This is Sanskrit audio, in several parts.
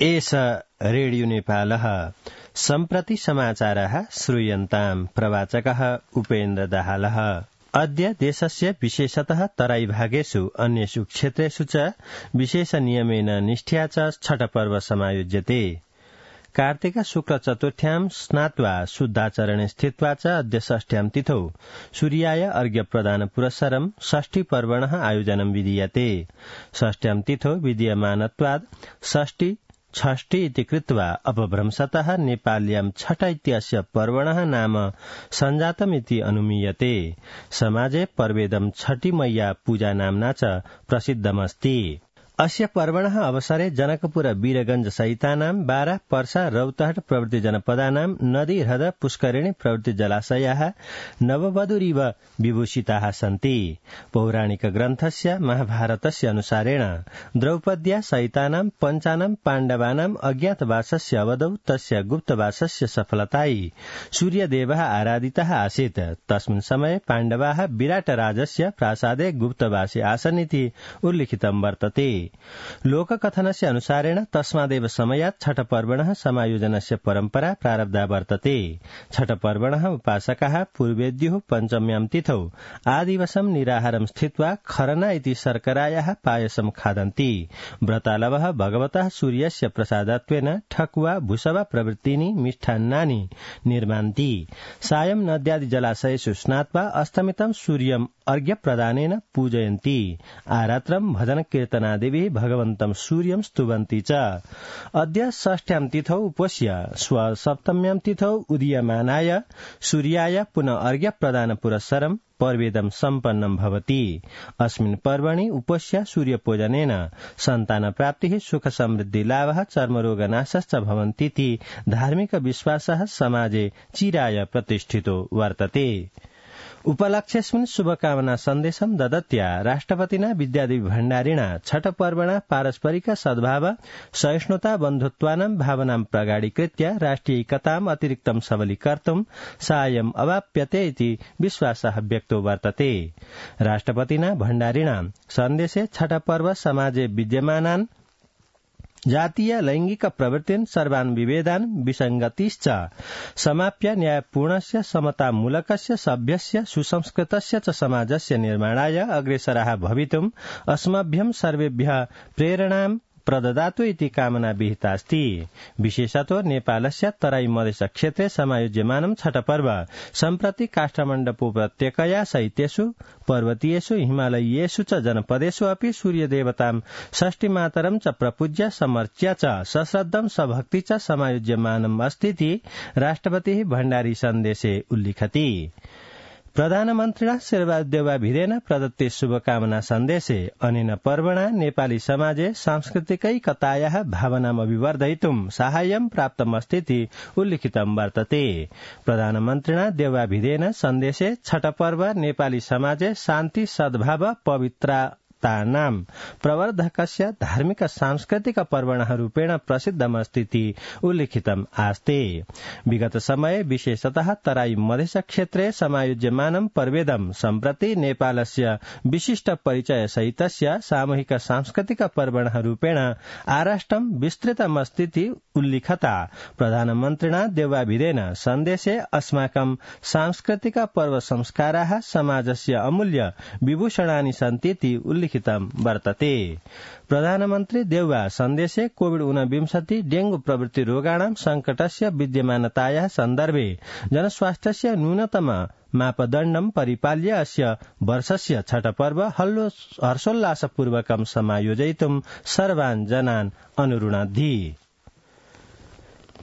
एष रेडियो नेपालः सम्प्रति समाचारः श्रूयन्ताम् प्रवाचकः उपेन्द्र दाहालः। अद्य देशस्य विशेषतः तराईभागेषु अन्येषु क्षेत्रेषु च विशेष नियमेन निष्ठया च छठपर्व समायोज्यते। कार्तिक शुक्ल चतुर्थ्यां स्नात्वा शुद्धाचरणे स्थित्वा च अद्य षष्ठ्यां तिथौ सूर्याय अर्घ्य प्रदान पुरस्सरं षष्ठी पर्वणः आयोजनं विधीयते। षष्ठ्यां तिथौ विधीयमानत्वात् षष्ठी षष्ठी इति कृत्वा अपभ्रंशतः नेपाल्यां छठ इत्यस्य पर्वणः नाम सञ्जातमिति अनुमीयते। समाजे पर्वेदं छठी मैया पूजा नाम्ना च प्रसिद्धमस्ति। अस्य पर्वणः अवसरे जनकपुर वीरगंज सहितानां बारा पर्सा रौतहट प्रभृति जनपदानां नदी ह्रद पुष्करिणी प्रभृति जलाशयाः नववधूरिव विभूषिताः सन्ति। पौराणिक ग्रन्थस्य महाभारतस्य अनुसारेण द्रौपद्या सहितानां पञ्चानां पाण्डवानां अज्ञातवासस्य अवधौ तस्य गुप्तवासस्य सफलतायै सूर्यदेवः आराधितः आसीत्। तस्मिन् समये पाण्डवाः विराटराजस्य प्रासादे गुप्तवासे आसन् इति उल्लिखितं वर्तते। लोककथनस्य अनुसारेण तस्मादेव समयात् छठपर्वणः समायोजनस्य परम्परा प्रारब्धा वर्तते। छठपर्वणः उपासकाः पूर्वेद्युः पञ्चम्यां तिथौ आदिवसं निराहारं स्थित्वा खरना इति शर्करायाः पायसं खादन्ति। व्रतालवः भगवतः सूर्यस्य प्रसादत्वेन ठकुवा भुसवा प्रभृतीनि मिष्टान्नानि निर्मान्ति। सायं नद्यादि जलाशयेषु स्नात्वा अस्तमितं सूर्यम् अर्घ्यप्रदानेन पूजयन्ति। आरात्रं भजन कीर्तनादिभिः भगवन्तं सूर्यं स्तुवन्ति च। अद्य षष्ठ्यां तिथौ उपस्य सप्तम्यां तिथौ उदीयमानाय सूर्याय पुनः अर्घ्यप्रदान पुरस्सरं पर्वेदं सम्पन्नं भवति। अस्मिन् पर्वणि उपस्य सूर्यपूजनेन सन्तान प्राप्तिः सुख समृद्धि लाभः चर्मरोगनाशश्च भवन्तीति धार्मिक विश्वासः समाजे चिराय प्रतिष्ठितो वर्तते। उपलक्ष्यस्मिन् शुभकामना सन्देशं ददत्या राष्ट्रपतिना विद्यादेवी भण्डारिणा छठपर्वणा पारस्परिक सद्भाव सहिष्णुता बन्धुत्वानां भावनां प्रगाढीकृत्य राष्ट्रियैकताम् अतिरिक्तं सबलीकर्तुं साहाय्यम् अवाप्यते इति विश्वासः व्यक्तो वर्तते। राष्ट्रपतिना भण्डारिणा सन्देशे छठपर्व समाजे विद्यमानान् जातीय लैंगिक प्रवृत्तिन् सर्वान् विभेदान् विसङ्गतिश्च समाप्य न्यायपूर्णस्य समतामूलकस्य सभ्यस्य सुसंस्कृतस्य च समाजस्य निर्माणाय अग्रेसराः भवितुम् अस्मभ्यं सर्वेभ्यः प्रेरणां प्रददातु इति कामना विहितास्ति। विशेषतो नेपालस्य तराई मधेस क्षेत्रे समायोज्यमानं छठपर्व सम्प्रति काष्ठमण्डपोपत्यकया सहितेषु पर्वतीयेषु हिमालयीयेषु च जनपदेषु अपि सूर्यदेवतां षष्ठीमातरं च प्रपूज्य समर्च्य च सश्रद्धं सभक्ति च समायोज्यमानम् अस्तीति राष्ट्रपतिः भण्डारी सन्देशे उल्लिखति। प्रधानमन्त्रिणा शेरबहादुर प्रदत्ते शुभकामना सन्देशे अनेन पर्वणा नेपाली समाजे सांस्कृतिकैकतायाः भावनाम् अभिवर्धयितुं साहाय्यं प्राप्तमस्तीति उल्लिखितं वर्तते। प्रधानमन्त्रिणा देवाभिधेन सन्देशे छठपर्व नेपाली समाजे शान्ति सद्भाव पवित्रतानां प्रवर्धकस्य धार्मिक सांस्कृतिक पर्वणः रूपेण प्रसिद्धमस्तीति उल्लिखितम् आस्ते। विगत समये विशेषतः तराई मधेस क्षेत्रे समायोज्यमानं पर्वेदं सम्प्रति नेपालस्य विशिष्ट परिचय सहितस्य सामूहिक सांस्कृतिक पर्वणः रूपेण आराष्ट्रं विस्तृतमस्तीति उल्लिखता प्रधानमन्त्रिणा देवाभिधेन सन्देशे अस्माकं सांस्कृतिक पर्व संस्काराः समाजस्य अमूल्य विभूषणानि सन्तीति उल्लिखितं वर्तते। प्रधानमन्त्री देउवा सन्देशे कोविड-19 डेंगू प्रभृति रोगाणां संकटस्य विद्यमानतायाः सन्दर्भे जनस्वास्थ्यस्य न्यूनतम मापदण्डं परिपाल्य अस्य वर्षस्य छठपर्व हर्षोल्लासपूर्वकं समायोजयितुं सर्वान् जनान् अनुरुणद्धि।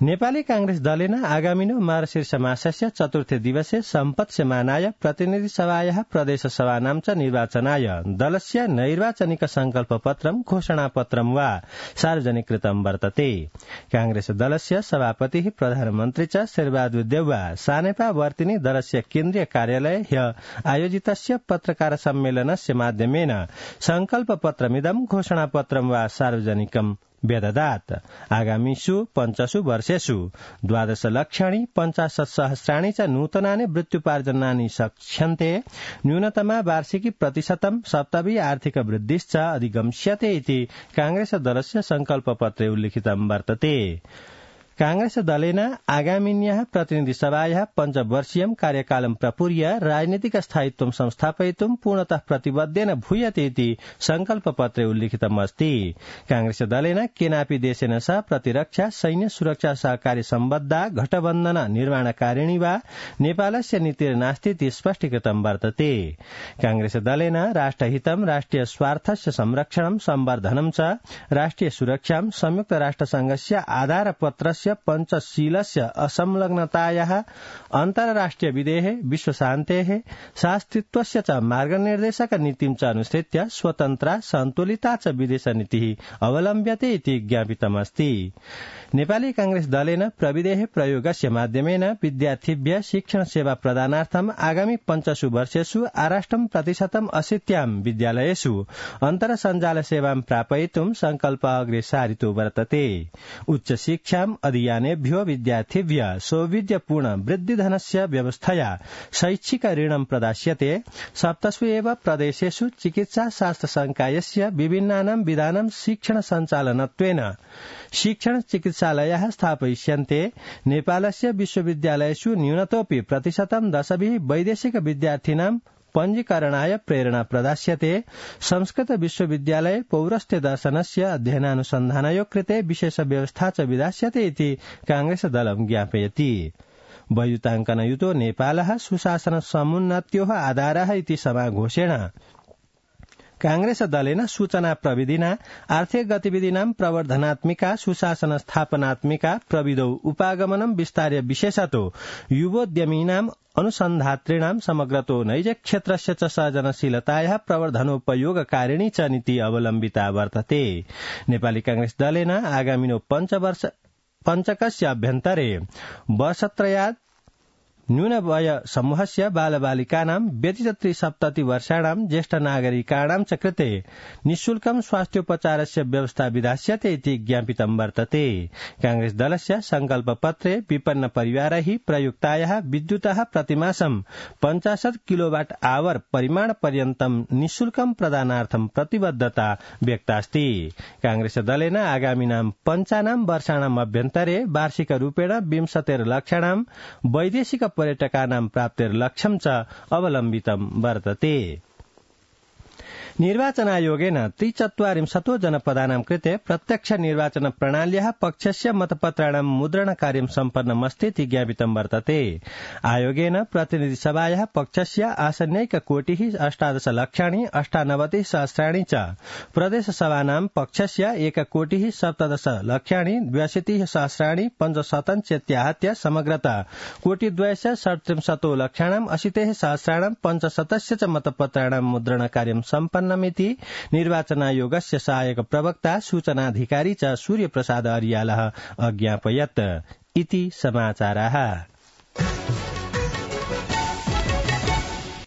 नेपाली कांग्रेस दलेन आगामिनो मार्गशीर्ष मासस्य चतुर्थे दिवसे सम्पत्स्यमानाय प्रतिनिधि सभायाः प्रदेश सभानां च निर्वाचनाय दलस्य नैर्वाचनिक संकल्पपत्रं घोषणापत्रं वा सार्वजनिकृतं वर्तते। कांग्रेस दलस्य सभापतिः प्रधानमन्त्री च शेरबहादुर देउवा सानेपावर्तिनि दलस्य केन्द्रीय कार्यालये ह्यः आयोजितस्य पत्रकार सम्मेलनस्य माध्यमेन संकल्पपत्रमिदं घोषणापत्रं वा सार्वजनिकं व्यददात् आगामिषु 5 वर्षेषु 12 लक्षाणि 50 सहस्राणि च नूतनानि वृत्त्युपार्जनानि शक्ष्यन्ते न्यूनतमा वार्षिकी प्रतिशतं सप्तमी आर्थिक वृद्धिश्च अधिगम्स्यते इति कांग्रेस दलस्य संकल्पपत्रे उल्लिखितं वर्तते। कांग्रेस दलेन आगामिन्याः प्रतिनिधिसभायाः 5 वर्षीयं कार्यकालं प्रपूर्य राजनीतिक स्थायित्वं संस्थापयितुं पूर्णतः प्रतिबद्धेन भूयते इति संकल्पपत्रे उल्लिखितमस्ति। कांग्रेस दलेन केनापि देशेन सह प्रतिरक्षा सैन्य सुरक्षा सहकार्य सम्बद्धा घटबन्धन निर्माणकारिणी वा नेपालस्य नीतिर्नास्ति इति स्पष्टीकृतं वर्तते। कांग्रेस दलेन राष्ट्रहितं राष्ट्रिय स्वार्थस्य संरक्षणं संवर्धनं च राष्ट्रिय सुरक्षां संयुक्त राष्ट्रसंघस्य आधारपत्रस्य पंचशीलस्य असंलग्नतायाः अन्ताराष्ट्रिय विधेः विश्वशान्तेः शास्त्रित्वस्य च मार्गनिर्देशक नीतिं च अनुसृत्य स्वतन्त्रा सन्तुलिता च विदेशनीतिः अवलम्ब्यते इति ज्ञापितमस्ति। नेपाली कांग्रेस दलेन प्रविधेः प्रयोगस्य माध्यमेन विद्यार्थिभ्यः शिक्षण सेवा प्रदानार्थं आगामी 5 वर्षेषु आराष्ट्रं प्रतिशतं 80 विद्यालयेषु अन्तर्सञ्जाल सेवां प्रापयितुं संकल्प अग्रे सारितो वर्तते। उच्च शिक्षां अधियानेभ्यो विद्यार्थिभ्यः सौविध्यपूर्ण वृद्धिधनस्य व्यवस्थया शैक्षिक ऋणं प्रदास्यते। 7 एव प्रदेशेषु चिकित्सा शास्त्र संकायस्य विभिन्नानां विधानां शिक्षण सञ्चालनत्वेन शिक्षण चिकित्सालयाः स्थापयिष्यन्ते। नेपालस्य विश्वविद्यालयेषु न्यूनतोऽपि प्रतिशतं 10 वैदेशिक विद्यार्थिनां पञ्जीकरणाय प्रेरणा प्रदास्यते। संस्कृत विश्वविद्यालये पौरस्त्य दर्शनस्य अध्ययनानुसन्धानयो कृते विशेष व्यवस्था च विधास्यते इति कांग्रेस दलं ज्ञापयति। वयुताङ्कनयुतो नेपालः सुशासन समुन्नत्योः आधारः इति समाघोषेण कांग्रेस दलेन सूचना प्रविधिना आर्थिक गतिविधिनां प्रवर्धनात्मिका सुशासन स्थापनात्मिका प्रविधौ उपागमनं विस्तार्य विशेषतो युवोद्यमीनां अनुसन्धातॄणां समग्रतो नैज क्षेत्रस्य च सृजनशीलतायाः प्रवर्धनोपयोगकारिणी च नीति अवलम्बिता वर्तते। नेपाली कांग्रेस दलेन आगामिनो 5 पञ्चकस्य अभ्यन्तरे वर्षत्रयात् न्यूनवय समूहस्य बालबालिकानां व्यतीत 73 वर्षाणां ज्येष्ठ नागरिकाणां च कृते निःशुल्कं स्वास्थ्योपचारस्य व्यवस्था विधास्यते इति ज्ञापितं वर्तते। कांग्रेस दलस्य संकल्पपत्रे विपन्न परिवारैः प्रयुक्तायाः विद्युतः प्रतिमासं 50 किलोवाट आवर परिमाण पर्यन्तं निःशुल्कं प्रदानार्थं प्रतिबद्धता व्यक्तास्ति। कांग्रेस दलेन आगामिनां 5 वर्षाणाम् अभ्यन्तरे वार्षिक रूपेण 20 लक्षाणां वैदेशिक पर्यटकानां प्राप्तिर्लक्ष्यं च अवलम्बितं वर्तते। निर्वाचनायोगेन 43 जनपदानां कृते प्रत्यक्ष निर्वाचन प्रणाल्याः पक्षस्य मतपत्राणां मुद्रण कार्यं सम्पन्नमस्ति इति ज्ञापितं वर्तते। आयोगेन प्रतिनिधिसभायाः पक्षस्य आसन्नैक कोटिः 18 लक्षाणि 98 सहस्राणि च प्रदेशसभानां पक्षस्य 1 कोटिः 17 लक्षाणि 82 सहस्राणि 5 चेत्याहत्य समग्रता कोटिद्वयस्य 37 लक्षाणां 80 सहस्राणां 5 च मतपत्राणां मुद्रण कार्यं सम्पन्न मिति निर्वाचनायोगस्य सहायक प्रवक्ता सूचनाधिकारी च सूर्यप्रसाद अर्यालः अज्ञापयत् इति समाचाराः।